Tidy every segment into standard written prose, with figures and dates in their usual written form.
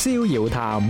逍遙談。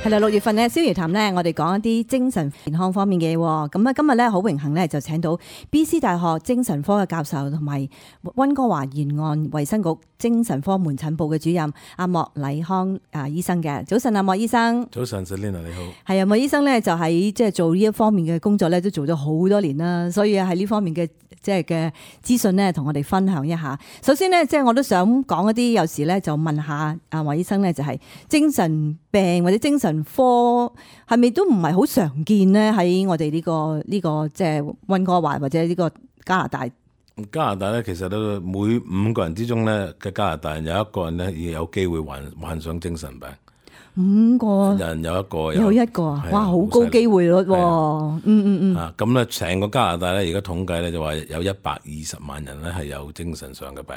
係啦，6月份咧，逍遙談咧，我哋講一啲精神健康方面嘅嘢。咁啊，今日咧好榮幸咧，就請到 BC 大學精神科嘅教授同埋溫哥華沿岸衛生局精神科門診部嘅主任阿莫禮康醫生嘅。早晨，阿莫醫生。早晨 Selina 你好。係啊，莫醫生咧就喺即係做呢一方面嘅工作咧，都做咗好多年啦，所以喺呢方面嘅即係嘅資訊咧，同我哋分享一下。首先咧，即係我都想講一啲，有時咧就問下阿莫醫生咧，就係精神病或者精神科係咪都唔係好常見咧？喺我哋呢個即係溫哥華或者呢個加拿大。加拿大咧，其實都每5個人之中咧嘅加拿大人有1個人咧，已有機會患上精神病。 5個人有一個啊！哇，好高機會率喎。咁咧，成個加拿大咧，而家統計咧就話有120萬人咧係有精神上嘅病。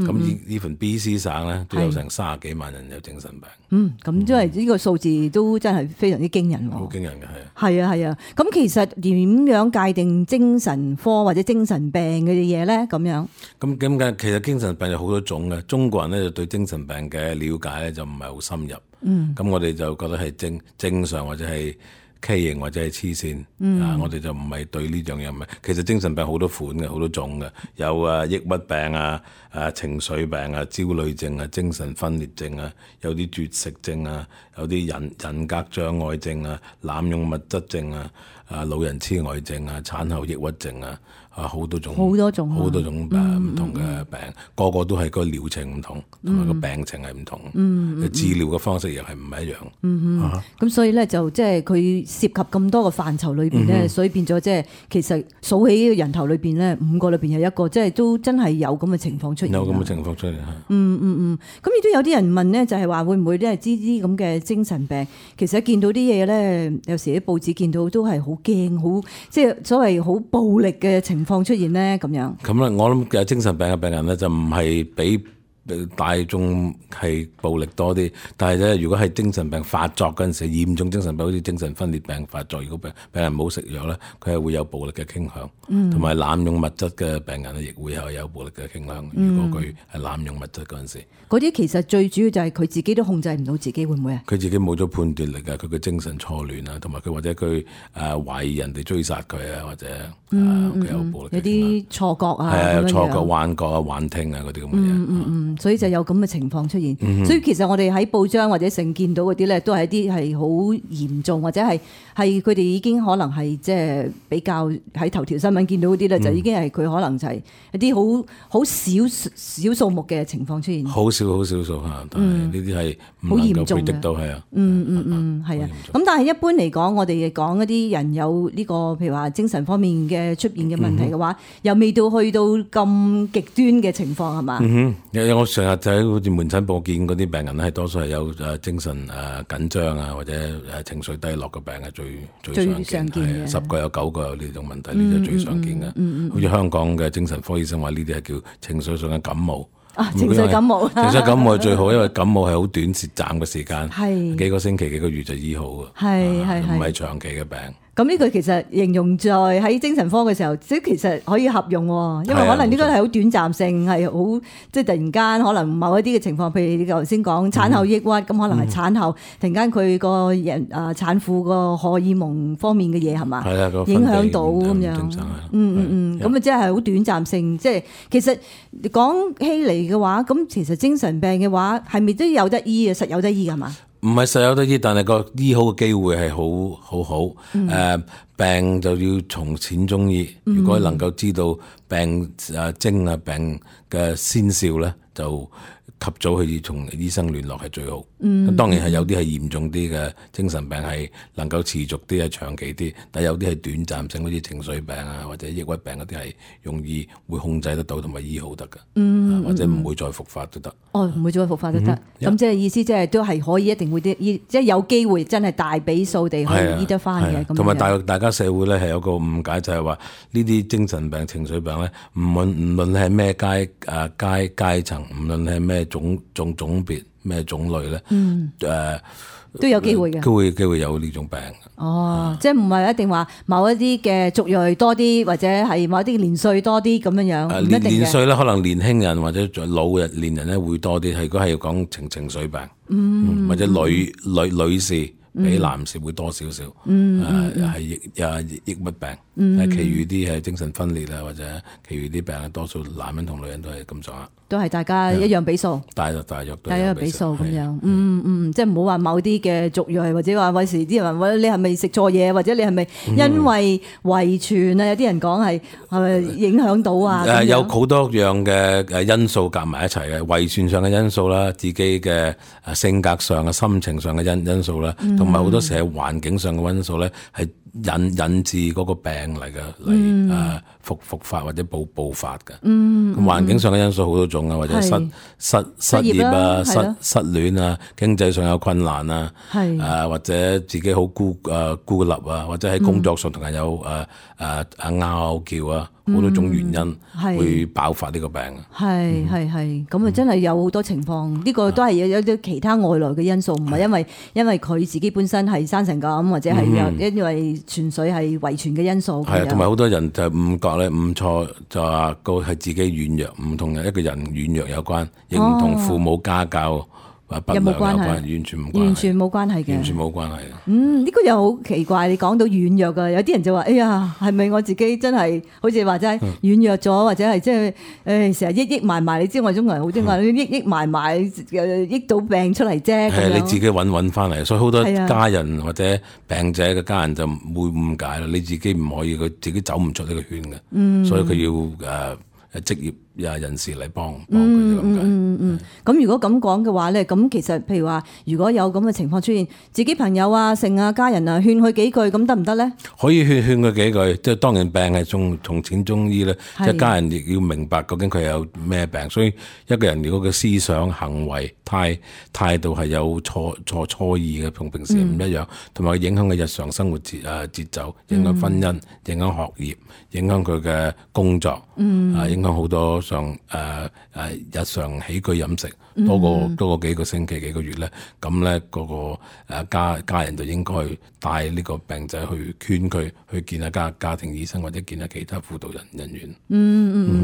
咁呢份 BC 省咧都有成30幾萬人有精神病。咁即係呢個數字都真係非常之驚人喎。好驚人嘅係啊。咁其實點樣界定精神科或者精神病嘅嘢咧？咁樣咁點解？其實精神病有好多種嘅。中國人咧就對精神病嘅了解咧就唔係好深入。咁我哋就覺得係正常或者係畸形或者係黐線。我哋就唔係對呢樣嘢唔係。其實精神病好多款嘅，好多種嘅，有抑鬱病啊、情緒病啊、焦慮症啊、精神分裂症啊，有啲絕食症啊，有啲人格障礙症啊、濫用物質症啊、老人痴呆症啊、產後抑鬱症啊。好多種唔同嘅病，個個都係個療程唔同，同埋個病情係唔同，治療嘅方式又係唔一樣。咁所以咧就即係佢涉及咁多個範疇裏邊咧，所以變咗即係其實數起人頭裏邊咧，5個裏邊有1個，即係都真係有咁嘅情況出現。有咁嘅情況出現咁亦都有啲人問咧，就係話會唔會咧知啲咁嘅精神病，其實見到啲嘢咧，有時喺報紙見到都係好驚，好即係所謂好暴力嘅情況出現咧咁樣。咁咧，我諗嘅精神病嘅病人咧就唔係比大眾係暴力多啲，但係咧如果係精神病發作嗰陣時，嚴重精神病好似精神分裂病發作，如果病人冇食藥咧，佢係會有暴力嘅傾向，同埋濫用物質嘅病人咧，亦會有暴力嘅傾向。如果佢係濫用物質嗰陣時，嗰啲其實最主要就係佢自己都控制唔到自己，會唔會啊？佢自己冇咗判斷力啊，佢嘅精神錯亂啊，同埋佢或者佢懷疑人哋追殺佢啊，或者佢有暴力嘅傾向，有啲錯覺啊，係有錯覺、幻覺啊、幻聽啊嗰啲咁嘅嘢。所以就有咁嘅情況出現。所以其實我哋喺報章或者成見到嗰啲咧，都係一啲係好嚴重，或者係佢哋已經可能係即係比較喺頭條新聞見到嗰啲咧，就已經係佢可能就係一啲好少數目嘅情況出現。好少數嚇，但係呢啲係好嚴重嘅。係啊。係啊。咁但係一般嚟講，我哋講一啲人有呢個譬如話精神方面嘅出現嘅問題嘅話，又未到去到咁極端嘅情況係嘛？我成日就喺好似門診部見嗰啲病人咧，係多數係有精神緊張啊，或者情緒低落嘅病係最常見嘅。10個有9個有呢種問題，呢啲係最常見嘅。好似香港嘅精神科醫生話，呢啲係叫情緒上嘅感冒。情緒感冒係最好，因為感冒係好短暫嘅時間，幾個星期、幾個月就醫好嘅，唔係長期嘅病。咁呢個其實形容在喺精神科嘅時候，即係其實可以合用，因為可能呢個係好短暫性，係好即係突然間可能某一啲嘅情況，譬如你頭先講產後抑鬱，咁可能係產後突然間佢個人產婦個荷爾蒙方面嘅嘢係嘛，影響到咁樣。咁啊即係好短暫性，即係其實講起嚟嘅話，咁其實精神病嘅話係咪都有得醫啊？實有得醫㗎嘛？唔係實有得醫，但係個醫好嘅機會係好。病就要從淺中醫。如果能夠知道病徵啊、病嘅先兆咧，就及早去同醫生聯絡係最好。當然係有啲係嚴重啲嘅精神病係能夠持續啲、係長期啲，但有啲係短暫性，好似情緒病啊或者抑鬱病嗰啲係容易會控制得到同埋醫好得㗎。或者唔會再復發都得。唔會再復發都得。咁即係意思即係都係可以一定會啲醫，即係有機會真係大比數地去醫得翻嘅。同埋大家社會咧係有個誤解，就係話呢啲精神病、情緒病咧，唔論係咩階層，唔論係咩種別。咩種類咧，都有機會嘅，機會有呢種病。即係唔係一定話某一啲嘅族裔多啲，或者係某一啲年歲多啲咁樣樣，唔一定嘅。年歲咧，可能年輕人或者老年人咧會多啲。如果係要講情緒病，或者女士比男士會多少少，係抑鬱病，其餘啲係精神分裂啊，或者其餘啲病，多數男人同女人都係咁上下。都係大家一樣比數，大約都係一樣比數咁樣，即係唔好話某啲嘅族裔，或者話有時啲人話你係咪食錯嘢，或者你係咪因為遺傳啊？有啲人講係咪影響到啊？有好多樣嘅因素夾埋一齊嘅，遺傳上嘅因素啦，自己嘅性格上嘅、心情上嘅因素啦，同埋好多時係環境上嘅因素咧，係引致嗰個病嚟嘅，復發或者爆發嘅。咁環境上嘅因素好多種啊，或者失業啊、失戀啊、經濟上有困難啊，或者自己好孤立啊，或者喺工作上同人有拗撬啊，好多種原因會爆發呢個病。係咁啊，真係有好多情況，呢個都係有啲其他外來嘅因素，唔係因為佢自己本身係生成咁，或者係因為純粹係遺傳嘅因素。係同埋好多人就誤覺咧，誤錯就話個係自己軟弱，唔同一個人軟弱有關，亦唔同父母家教不良有關，完全冇關係，完全冇關係嘅，完全冇關係。呢個又好奇怪，你講到軟弱㗎，有啲人就話：哎呀，係咪我自己真係好似話齋軟弱咗，或者係即係成日抑埋埋？你知我中國人好中意話抑埋埋，抑到病出嚟啫。係你自己揾翻嚟，所以好多家人或者病者嘅家人就會誤解啦。你自己唔可以，佢自己走唔出呢個圈嘅，所以佢要職業人士嚟幫佢哋咁解。咁如果咁講嘅話咧，咁其實譬如話，如果有咁嘅情況出現，自己朋友啊、剩啊、家人啊，勸佢幾句，咁得唔得咧？可以勸佢幾句，即係當然病係從淺中醫咧，即係家人亦要明白究竟佢有咩病。所以一個人如果嘅思想、行為、態度係有錯意嘅，同平時唔一樣，同埋影響佢日常生活節奏，影響婚姻、影響學業、影響佢嘅工作，影響好多上日常起居飲食，多過幾個星期、幾個月咧，咁咧嗰個家人就應該帶呢個病仔去勸佢去見下家庭醫生，或者見下其他輔導人員。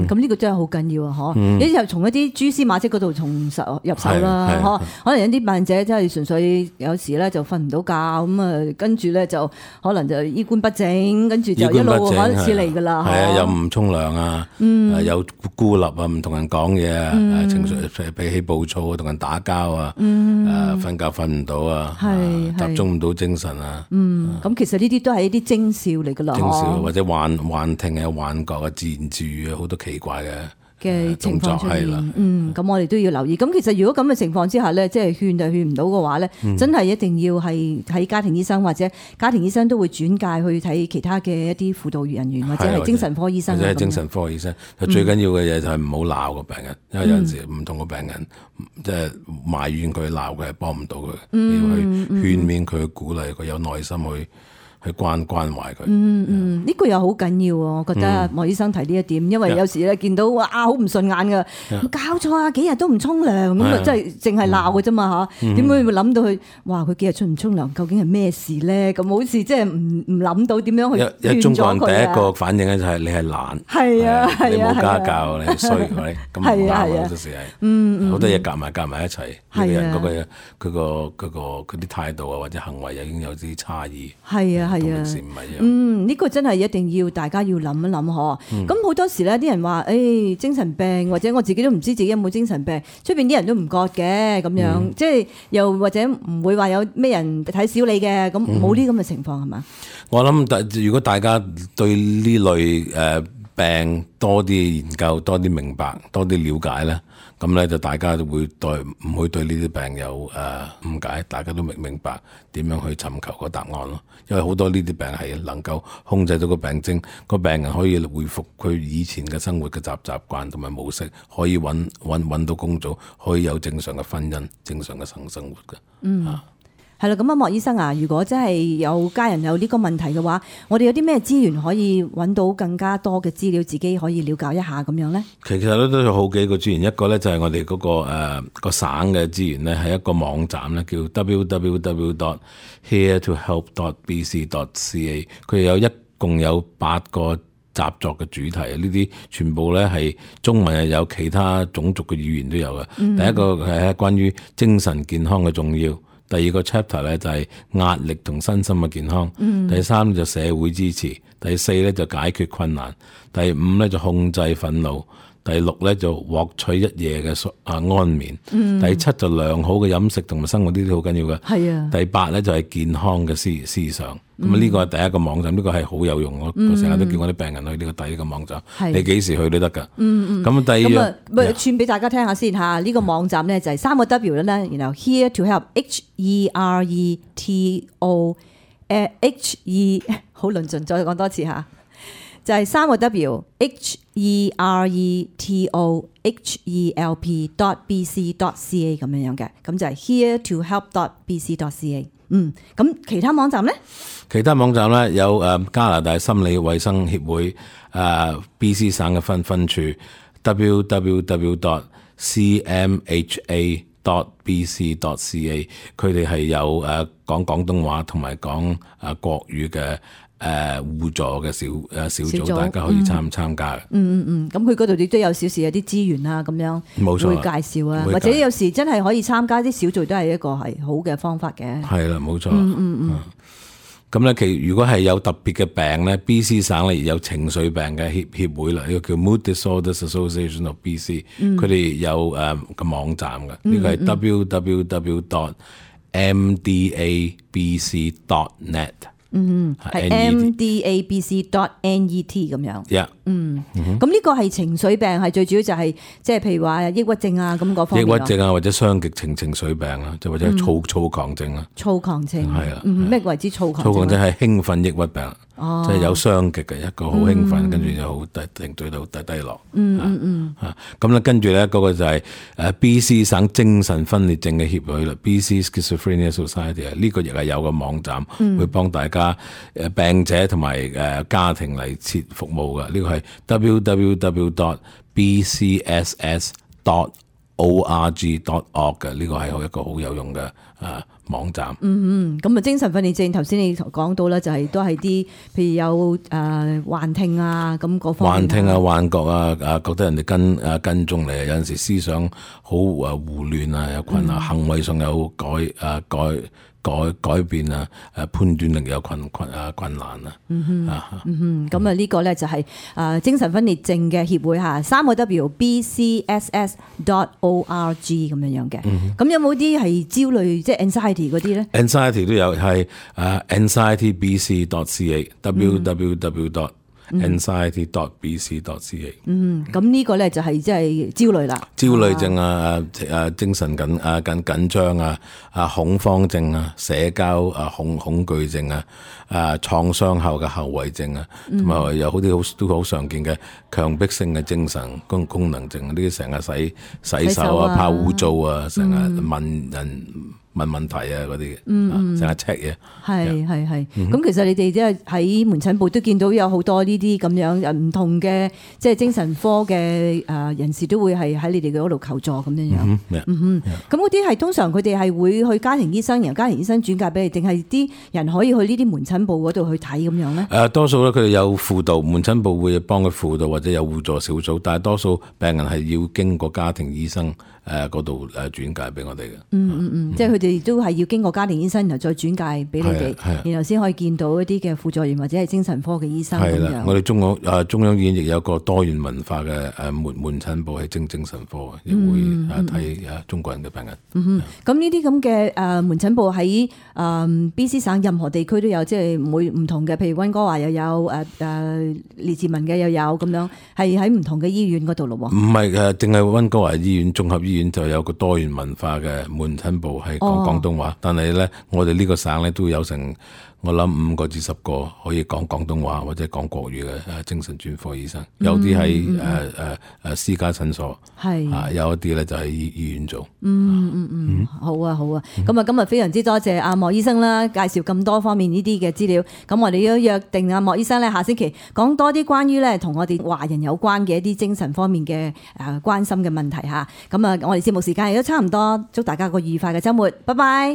咁呢個真係好緊要啊！嗬，你就從一啲蛛絲馬跡嗰度入手啦，可能有啲病者真係純粹有時咧就瞓唔到覺，咁啊跟住咧就可能就衣冠不整，跟住就一路開始嚟噶啦。係啊，又唔沖涼啊，有孤立啊，唔同人講嘢啊，情緒脾氣暴躁啊，同人打交啊，瞓覺瞓唔到啊，集中唔到精神啊。咁其實呢啲都係一啲徵兆嚟噶啦，徵兆或者幻聽啊、幻覺啊、自言自語啊，好多奇怪嘅情況出現。咁我哋都要留意。咁其實如果咁嘅情況之下咧，即係勸就勸唔到嘅話咧，真係一定要係睇家庭醫生，或者家庭醫生都會轉介去睇其他嘅一啲輔導人員，或者係精神科醫生。或者係精神科醫生，最緊要嘅嘢就係唔好鬧個病人，因為有陣時唔同個病人即係埋怨佢、鬧佢係幫唔到佢，要去勸勉佢、鼓勵佢，有耐心去關懷佢。呢個又好緊要喎，我覺得莫醫生提呢一點，因為有時咧見到哇好唔順眼噶，搞錯啊，幾日都唔沖涼咁啊，真係淨係鬧嘅啫嘛嚇，點會諗到佢哇佢幾日唔沖涼，究竟係咩事咧？咁好似即係唔諗到點樣去勸咗佢啊！中國人第一個反應咧就係你係懶，你冇家教，你係衰，咁唔啱好多時係，好多嘢夾埋一齊，呢個人嗰個啲態度啊或者行為已經有啲差異。係啊。呢個真係一定要大家要諗一諗嗬。咁好多時咧，啲人話精神病，或者我自己都唔知自己有冇精神病，出邊啲人都唔覺嘅咁樣，即係又或者唔會話有咩人睇小你嘅，咁冇呢咁嘅情況係嘛？我諗如果大家對呢類病多啲研究、多啲明白、多啲了解咧，咁咧就大家都會唔會對呢啲病有誤解，大家都明白點樣去尋求個答案咯。因為好多呢啲病係能夠控制到個病徵，個病人可以恢復佢以前嘅生活嘅習慣同埋模式，可以揾到工作，可以有正常嘅婚姻、正常嘅生活嘅。係啦，咁啊，莫醫生啊，如果真係有家人有呢個問題嘅話，我哋有啲咩資源可以揾到更加多嘅資料，自己可以了解一下咁樣咧？其實都有好幾個資源，一個咧就係我哋嗰個省嘅資源咧，係一個網站咧，叫 www.heretohelp.bc.ca。佢有共有8個習作嘅主題，呢啲全部咧係中文，有其他種族嘅語言都有嘅。第一個係關於精神健康嘅重要。第二個 chapter 咧就係壓力同身心嘅健康，第三就社會支持，第四咧就解決困難，第五咧就控制憤怒，第六咧就獲取一夜嘅安眠，第七就良好嘅飲食同埋生活，呢啲好緊要嘅。係啊，第八咧就係健康嘅思想。咁呢個係第一個網站，呢個係好有用。我成日都叫我啲病人去呢個第一個網站，你幾時去都得㗎。咁第二咁串俾大家聽下先嚇。呢個網站咧就係3個 W 咧，然後 Here to Help HERETO 好論盡，再講多次嚇。就係3個 W HERETOHELP.bc.ca 咁樣嘅，咁就係 Here to Help.bc.ca。咁其他網站咧？其他網站咧有加拿大心理衛生協會BC 省嘅分處 www.cmha.bc.ca， 佢哋係有講廣東話同埋講國語嘅互助嘅小組，大家可以參加嘅。咁佢嗰度亦都有少少有啲資源啊，咁樣冇錯，會介紹啊，或者有時真係可以參加啲小組，都係一個係好嘅方法嘅。係啦，冇錯。咁咧，如果係有特別嘅病咧，BC 省咧有情緒病嘅協會啦，呢個叫 Mood Disorders Association of BC，佢哋有個網站嘅，呢個係 www.mdabc.net。係 mdabc.net 咁樣。咁呢個係情緒病，係最主要就係即係譬如話抑鬱症啊咁嗰方面。抑鬱症啊，或者雙極情緒病啊，就或者躁狂症啊。躁狂症係啊。咩為之躁狂症？躁狂症係興奮抑鬱病，即係有雙極嘅，一個好興奮，跟住就好對到低落。咁咧跟住咧嗰個就係BC 省精神分裂症嘅協會啦，BC Schizophrenia Society 啊，呢個亦係有個網站會幫大家病者同埋家庭嚟設服務嘅，呢個係 www.bcss.org.org 嘅，呢個係一個好有用嘅網站。咁啊，精神分裂症頭先你講到啦，就係都係啲譬如有幻聽啊咁嗰方面。幻聽啊、幻覺啊，覺得人哋跟蹤你，有陣時思想好胡亂啊，有困難，行為上有改變啊，判斷力有困難啊。咁啊呢個咧就係精神分裂症嘅協會嚇，3個 W BCSS.org 咁樣嘅。咁有冇啲係焦慮即係 anxiety 嗰啲咧 ？anxiety 都有，係anxietybc.ca，www.anxiety.bc.ca。咁呢個咧就係即係焦慮啦。焦慮症精神緊張啊，恐慌症啊，社交恐懼症啊，創傷後嘅後遺症啊，同埋有好啲都好常見嘅強迫性嘅精神功能症，呢啲成日洗手啊，怕污糟啊，成日問問題啊嗰啲，成日 check 嘢。係。咁其實你哋即係喺門診部都見到有好多呢啲咁樣唔同嘅即係精神科嘅人士都會係喺你哋嗰度求助咁樣樣。咁嗰啲係通常佢哋係會去家庭醫生，由家庭醫生轉介俾你，定係啲人可以去呢啲門診部嗰度去睇咁樣咧？多數咧佢哋有輔導，門診部會幫佢輔導或者有互助小組，但係多數病人係要經過家庭醫生嗰度轉介俾我哋嘅。即係佢哋都係要經過家庭醫生，然後再轉介俾你哋，然後先可以見到一啲嘅輔助員或者係精神科嘅醫生咁樣。我哋中央醫院亦有個多元文化嘅門診部係精神科，亦會睇中國人嘅病人。咁呢啲咁嘅門診部喺BC 省任何地區都有，即係唔同嘅，譬如溫哥華又有列治文嘅又有咁樣，係喺唔同嘅醫院嗰度咯。唔係淨係溫哥華醫院綜合醫院就有個多元文化嘅門診部係講廣東話，但係咧我哋呢個省咧都有成我諗5個至10個可以講廣東話或者講國語嘅精神專科醫生，有啲喺私家診所，有一啲咧就喺醫院做。好啊好啊，咁啊今日非常之多謝阿莫醫生啦，介紹咁多方面呢啲嘅資料。咁我哋都約定阿莫醫生咧，下星期講多啲關於咧同我哋華人有關嘅一啲精神方面嘅關心嘅問題嚇。咁啊，我哋節目時間亦都差唔多，祝大家個愉快嘅週末，拜拜。